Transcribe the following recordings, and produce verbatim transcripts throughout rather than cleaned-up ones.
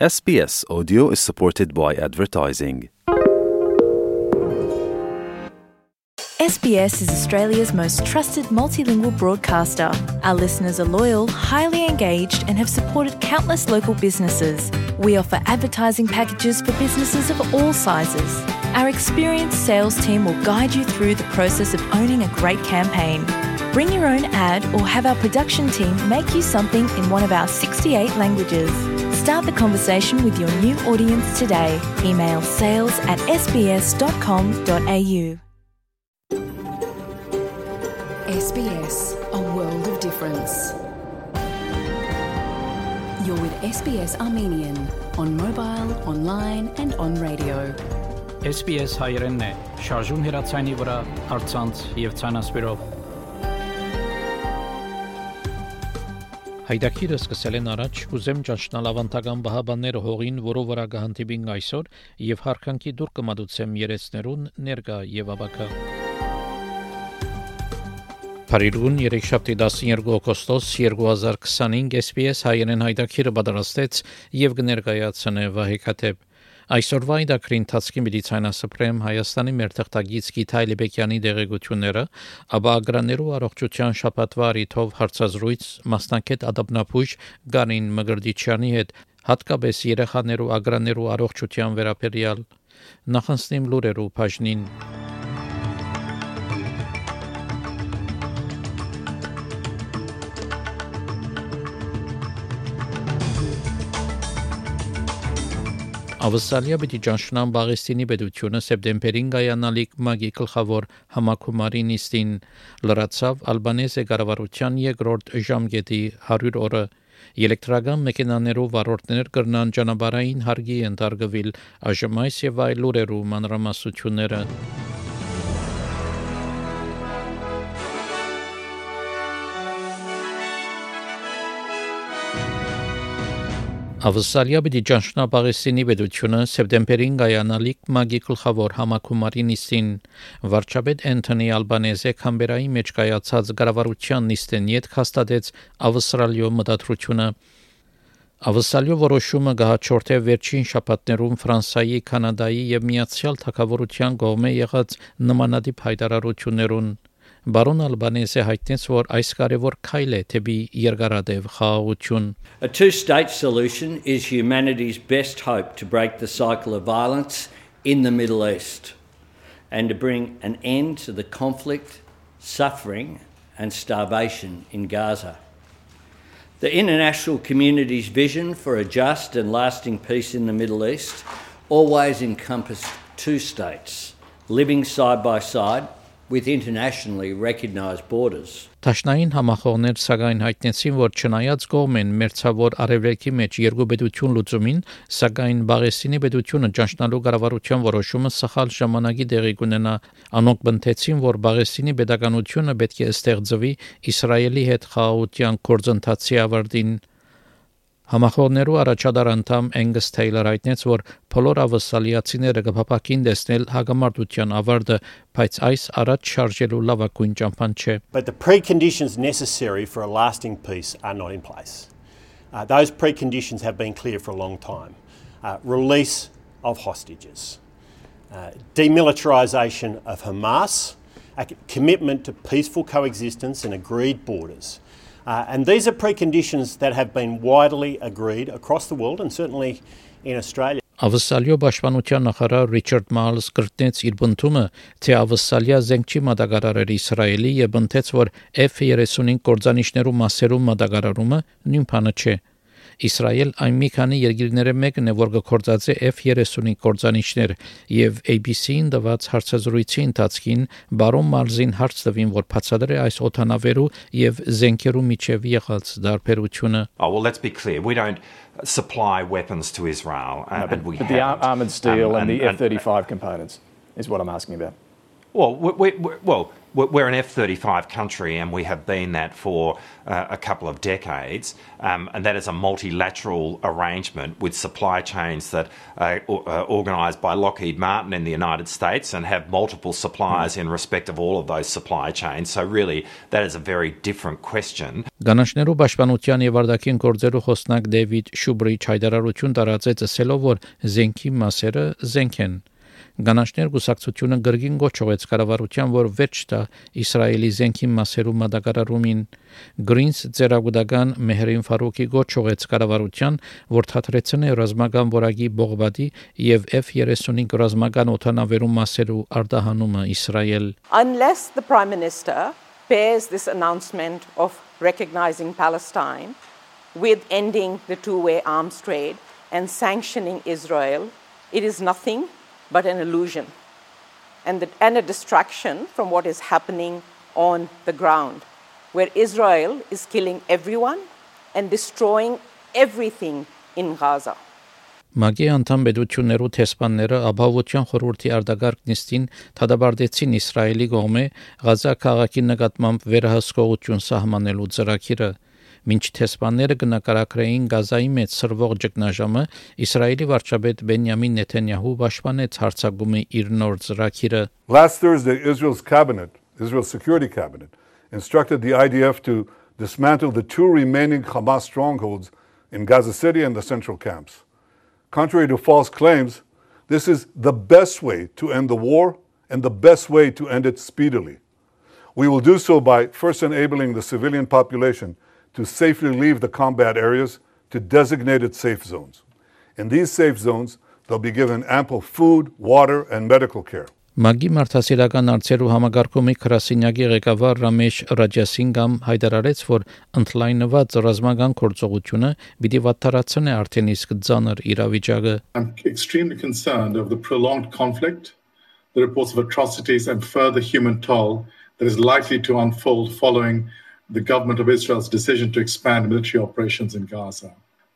S B S Audio is supported by advertising. S B S is Australia's most trusted multilingual broadcaster. Our listeners are loyal, highly engaged, and have supported countless local businesses. We offer advertising packages for businesses of all sizes. Our experienced sales team will guide you through the process of owning a great campaign. Bring your own ad or have our production team make you something in one of our sixty-eight languages. Start the conversation with your new audience today. Email sales at s b s dot com dot a u. S B S, a world of difference. You're with S B S Armenian on mobile, online and on radio. S B S հայերենն է, շարժուն հեռացանի վրա, առցանց եւ ցանասպիրով։ Հայդակիրը սկսել են առաջ, ուզեմ ճանչնալ ավանդական բահաբանները հողին, որով վրա կհանդիպին այսօր եւ հարկանքի դուր կմատուցեմ երեցներուն ներկա եւ ավակա։ Փարիգուն երեքշաբթի տասներկու օգոստոս երկու հազար քսանհինգ S B S հայերեն հայդակիրը պատրաստեց եւ կներկայացնե Վահե Քաթեփ։ Այսօրվա իդակրի ընթացքի մեդիցինասպրեմ Հայաստանի մեր թղթակից Գիթայ Լեբեկյանի դեղեցությունները, ապա ագրաներու առողջության շաբաթվա առիթով հարցազրույց մասնակետ ադաբնապուժ Գարին Մգրդիչյանի հետ, հատկապես երեխաներու ագրաներու առողջության վերաբերյալ նախանցնիմ լուրերու բաժնին։ Ավսալիա պիտի ճանչնան Բաղեստինի պետությունը սեպտեմբերին գայանալիք մագի գլխավոր համակումարի նիստին լրացավ ալբանեզե կառավարության երկրորդ ժամկետի հարյուր օրը էլեկտրական մեքենաներով վարորդներ կրնան ճանապարհային հարգի ընդարգվել այժմ այս եւ այլ լուրերու մանրամասնությունները Ավսալիա պիտի ճանչնա Բաղեստինի պետությունը սեպտեմբերին գայանալիք մագի գլխավոր համակումարի նիստին վարչապետ Անթոնի Ալբանեզե Կամբերայի մեջ կայացած կառավարության նիստին յետ հաստատեց Ավստրալիո մտադրությունը Ավսալիո որոշումը գահաճորթե վերջին շաբաթներում Ֆրանսիայի, Կանադայի եւ Միացյալ Թագավորության կողմէ եղած նմանատիպ հայտարարություններուն Բարոն Ալբանեզը հայտնեց, որ այս կարևոր քայլ է դեպի երկարատև խաղաղություն A two-state solution is humanity's best hope to break the cycle of violence in the Middle East and to bring an end to the conflict, suffering and starvation in Gaza. The international community's vision for a just and lasting peace in the Middle East always encompassed two states living side by side with internationally recognized borders. Տաշնային համախոհներ սակայն հայտնեցին, որ չնայած կողմեն մերձավոր արևելքի մեջ երկու պետություն լուծումին, սակայն Բաղեստինի պետությունը ճանչնալու կառավարության որոշումը սխալ ժամանակի տեղի կունենա, անոնք բնթեցին, որ Բաղեստինի պետականությունը պետք է ստեղծվի Իսրայելի հետ խաղաղության գործընթացի ավարտին։ Համախոհներու առաջադար անդամ Angus Taylor հայտնեց, որ բոլոր ավսալիացիները կփապակին տեսնել հագամարտության ավարտը, բայց այս առաջ շարժելու լավագույն ճամփան չէ։ But the preconditions necessary for a lasting peace are not in place. Uh, those preconditions have been clear for a long time. Uh, release of hostages, uh, demilitarisation of Hamas, a commitment to peaceful coexistence and agreed borders. Uh, and these are preconditions that have been widely agreed across the world and certainly in Australia. Ավսալիո պաշտպանության նախարար Ռիչարդ Մալս կրտնեց իր բնդումը, թե Ավսալիա զենք չի մատակարարել Իսրայելի եւ ընդեց, որ F thirty-five կորձանիշներու մասերու մատակարարումը նույն բանը չէ։ Իսրայել այն մի քանի երկիրները մեկն է, որ կորձած է F thirty-five կորձանիշներ եւ A B C-ին տված հարցազրույցի ընթացքին բարոն Մալզին հարց տվին, որ բացատրե այս օթանավերու եւ զենքերու միջև եղած դարբերությունը։ Oh well, let's be clear. We don't supply weapons to Israel, uh, no, but, and we but the ar- armored steel um, and, and the and, F thirty-five components is what I'm asking about. Well, we, we, well, we're an F thirty-five country, and we have been that for uh, a couple of decades, um, and that is a multilateral arrangement with supply chains that are uh, organised by Lockheed Martin in the United States and have multiple suppliers in respect of all of those supply chains. So really, that is a very different question. Գանաչներու պաշտպանության եւ արտաքին գործերու խոսնակ Դեվիդ Շուբրիչ հայտարարություն տարածեց ասելով, որ զենքի մասերը զենք են։ Գանաչներ գուսակցությունը գրգին գոչողեց կառավարության, որ վերջ տա Իսրայելի զենքի մասերու մատակարարումին։ Գրինս ծերագուդական Մեհրին Ֆարուկի գոչողեց կառավարության, որ թատրեցնե ռազմական որակի բողբադի եւ F thirty-five ռազմական օթանավերու մասերու արտահանումը Իսրայել։ Unless the Prime Minister bears this announcement of recognizing Palestine with ending the two-way arms trade and sanctioning Israel, it is nothing but an illusion and, the, and a distraction from what is happening on the ground, where Israel is killing everyone and destroying everything in Gaza. Մագի անդամ պետություններու տեսփանները ապահովության խորհրդի արտագարկ նիստին թադաբարդեցին Իսրայելի կողմէ Գազա քաղաքի նկատմամբ վերահսկողություն սահմանելու ծրագիրը։ Մինչ տեսփանները կնակարակրեին Գազայի մեջ սրվող ճգնաժամը, Իսրայելի վարչապետ Բենյամին Նեթանյահու պաշտպանեց հարձակումի իր նոր ծրագիրը։ Last Thursday, Israel's cabinet, Israel's security cabinet, instructed the I D F to dismantle the two remaining Hamas strongholds in Gaza City and the central camps. Contrary to false claims, this is the best way to end the war and the best way to end it speedily. We will do so by first enabling the civilian population to safely leave the combat areas to designated safe zones. In these safe zones, they'll be given ample food, water, and medical care. Մագի մարդասիրական արծերու համագարկումի քրասինյակի ղեկավար Ռամեշ Ռաջասինգամ հայտարարեց, որ ընդլայնված ռազմական գործողությունը պիտի վատթարացնի արդեն իսկ ծանր իրավիճակը։ I'm extremely concerned of the prolonged conflict, the reports of atrocities and further human toll that is likely to unfold following the government of Israel's decision to expand military operations in Gaza.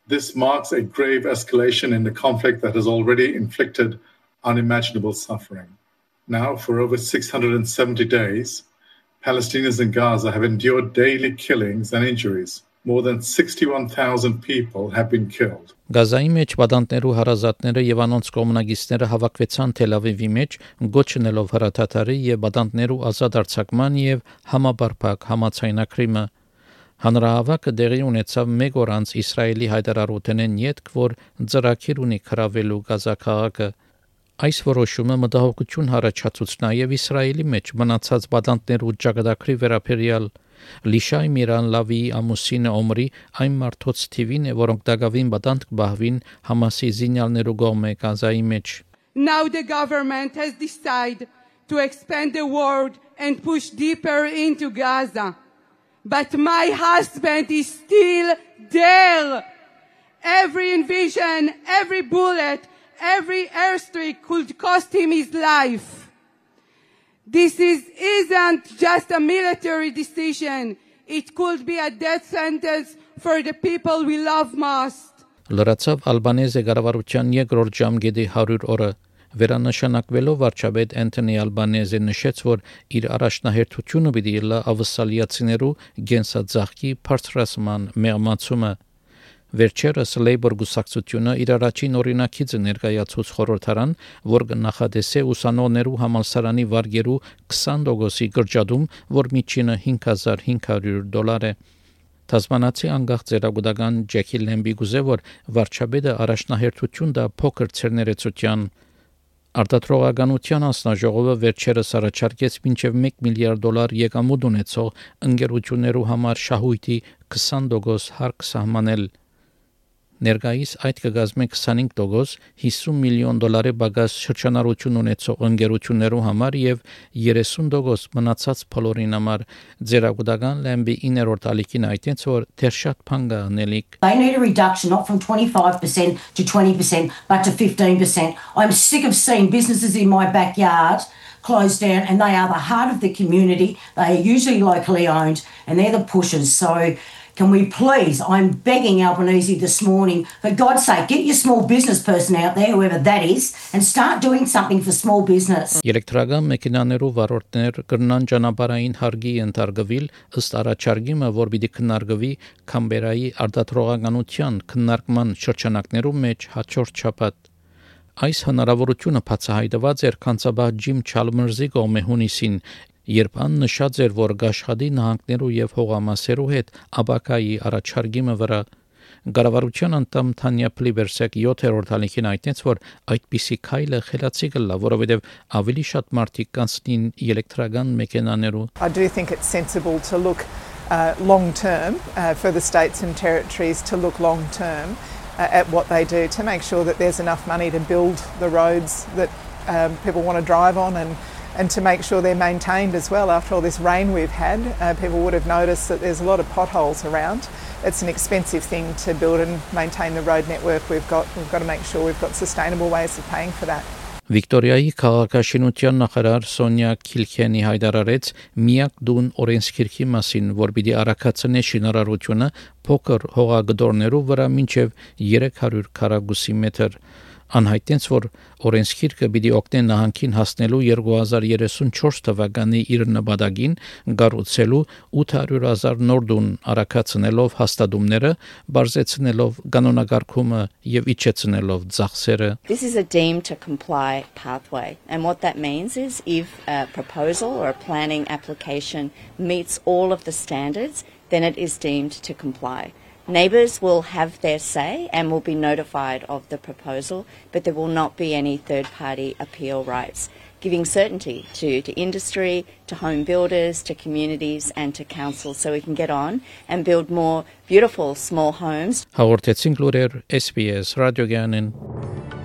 This marks a grave escalation in the conflict that has already inflicted unimaginable suffering. Now, for over six hundred seventy days, Palestinians in Gaza have endured daily killings and injuries. More than sixty-one thousand people have been killed. Գազայի մեջ պատանտներու հարազատները եւ անոնց կոմունագիստները հավաքվեցան Թել Ավիվի մեջ, գոչնելով հրաթաթարի եւ պատանտներու ազատ արձակման եւ համապարփակ համացայնակրիմը։ Հանրահավաքը դեղի ունեցավ մեկ օր անց Իսրայելի հայտարարութենեն յետք, որ ծրագիր ունի քրավելու Գազա քաղաքը։ Այս որոշումը մտահոգություն հարաճացուց նաեւ Իսրայելի մեջ մնացած պատանտներու ճակատագրի վերաբերյալ։ Լիշայ Միրան Լավի ամուսինը Օմրի այն մարդոց թիվին է, որոնք դակավին բանտ կբահվին Համասի զինյալներու կողմէ Գազայի մեջ։ Now the government has decided to expand the war and push deeper into Gaza. But my husband is still there. Every invasion, every bullet, every airstrike could cost him his life. This is, isn't just a military decision. It could be a death sentence for the people we love most. Լրացավ Ալբանեզե կառավարության երկրորդ ժամկետի հարյուր օրը։ Վերանշանակվելով վարչապետ Անթոնի Ալբանեզը նշեց, որ իր առաջնահերթությունը պիտի լա ավսալիացիներու գենսաձախքի բարձրացման մեղմացումը։ Վերջերս Labour գուսակցությունը իր առաջին օրինակիցը ներկայացուց խորհրդարան, որ նախադեսե ուսանողներու համալսարանի վարգերու twenty տոկոսի գրջադում, որ միջինը five thousand five hundred դոլար է։ Թասմանացի անգախ ծերագուտական Ջեքի Լեմբի գուզե, որ վարչապետը առաջնահերթություն դա փոքր ցերներեցության։ Արտադրողականության անձնաժողովը վերջերս առաջարկեց մինչև one միլիարդ դոլար եկամուտ ունեցող ընկերություններու համար շահույթի twenty տոկոս հարկ սահմանել։ Ներկայիս այդ կգազմի twenty-five տոկոս fifty միլիոն դոլարի բագաս շրջանառություն ունեցող ընկերություններու համար եւ thirty տոկոս մնացած բոլորին համար ձերագուտական Լեմբի իններորդ ալիքին այդտենց որ դեռ շատ բան կա անելիք։ They need a reduction not from twenty-five percent to twenty percent but to fifteen percent. I'm sick of seeing businesses in my backyard closed down, and they are the heart of the community. They are usually locally owned and they're the pushers. So Can we please, I'm begging Albanese this morning, for God's sake, get your small business person out there, whoever that is, and start doing something for small business. Էլեկտրական մեքենաներու վարորդներ կրնան ճանապարհային հարգի ընթարգվել ըստ առաջարկիմը, որ պիտի քննարկվի Կամբերայի արտադրողականության քննարկման շրջանակներու մեջ հաջորդ շաբաթ։ Այս հնարավորությունը բացահայտված էր կանցաբահ Ջիմ Չալմերզի կողմէ հունիսին, երբ ան նշած էր, որ գաշխատի նահանգներու եւ հողամասերու հետ աբակայի առաջարկիմը վրա Կառավարության անդամ Թանյա Պլիվերսեկ յոթերորդ ալիքին այդտենց, որ այդպիսի քայլը խելացի կլա, որովհետեւ ավելի շատ մարդիկ կանցնին էլեկտրական մեքենաներու։ I do think it's sensible to look uh, long term uh, for the states and territories to look long term uh, at what they do to make sure that there's enough money to build the roads that um, people want to drive on and and to make sure they're maintained as well. After all this rain we've had, uh, people would have noticed that there's a lot of potholes around. It's an expensive thing to build and maintain the road network we've got. We've got to make sure we've got sustainable ways of paying for that. Վիկտորիայի քաղաքաշինության նախարար Սոնյա Քիլքենի հայտարարեց միակ դուն օրենսգիրքի մասին, որ պիտի առաքացնե շինարարությունը փոքր հողագդորներով վրա մինչև երեք հարյուր քառակուսի մետր։ Անհայտեց, որ օրենսգիրքը պիտի օգնի նահանգին հասնելու երկու հազար երեսունչորս թվականի իր նպատակին գառուցելու ութ հարյուր հազար նոր տուն առաքացնելով հաստատումները, բարձրացնելով կանոնակարգումը եւ իջեցնելով ծախսերը։ This is a deemed to comply pathway, and what that means is if a proposal or a planning application meets all of the standards, then it is deemed to comply. Neighbours will have their say and will be notified of the proposal, but there will not be any third-party appeal rights, giving certainty to, to industry, to home builders, to communities and to councils so we can get on and build more beautiful small homes. Հաղորդեցինք լուրեր S B S ռադիոգյանին։